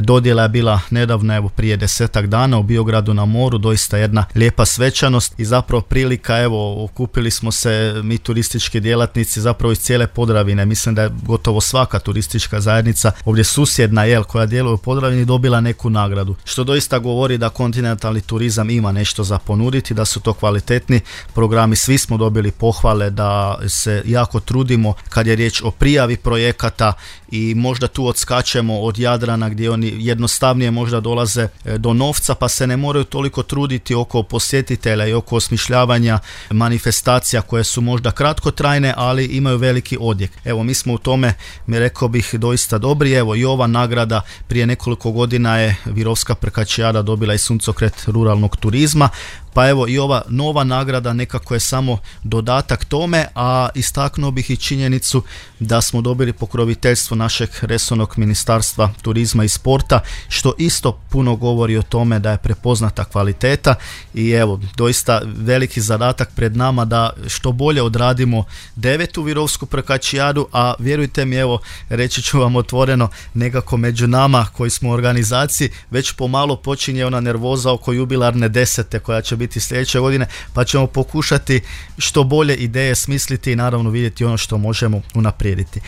Dodjela je bila nedavno, evo prije 10 dana u Biogradu na moru, doista jedna lijepa svečanost i zapravo prilika, evo okupili smo se mi turistički djelatnici zapravo iz cijele Podravine. Mislim da je gotovo svaka turistička zajednica ovdje susjedna koja djeluje u Podravini dobila neku nagradu, što doista govori da kontinentalni turizam ima nešto za ponuditi, da su to kvalitetni programi. Svi smo dobili pohvale da se jako trudimo kad je riječ o prijavi projekata i možda tu odskačemo od Jadrana gdje oni jednostavnije možda dolaze do novca pa se ne moraju toliko truditi oko posjetitelja i oko osmišljavanja manifestacija koje su možda kratkotrajne, ali imaju veliki odjek. Evo, mi smo u tome, rekao bih, doista dobri. Evo i ova nagrada prije nekoliko godina je Virovska prkačijada dobila i suncokret ruralnog turizma, pa evo i ova nova nagrada nekako je samo dodatak tome, a istaknuo bih i činjenicu da smo dobili pokroviteljstvo našeg resornog Ministarstva turizma i sporta, što isto puno govori o tome da je prepoznata kvaliteta i evo, doista veliki zadatak pred nama da što bolje odradimo 9. Virovsku prkačijadu, a vjerujte mi, evo, reći ću vam otvoreno, nekako među nama koji smo u organizaciji već pomalo počinje ona nervoza oko jubilarne 10. koja će biti sljedeće godine, pa ćemo pokušati što bolje ideje smisliti i naravno vidjeti ono što možemo unaprijediti.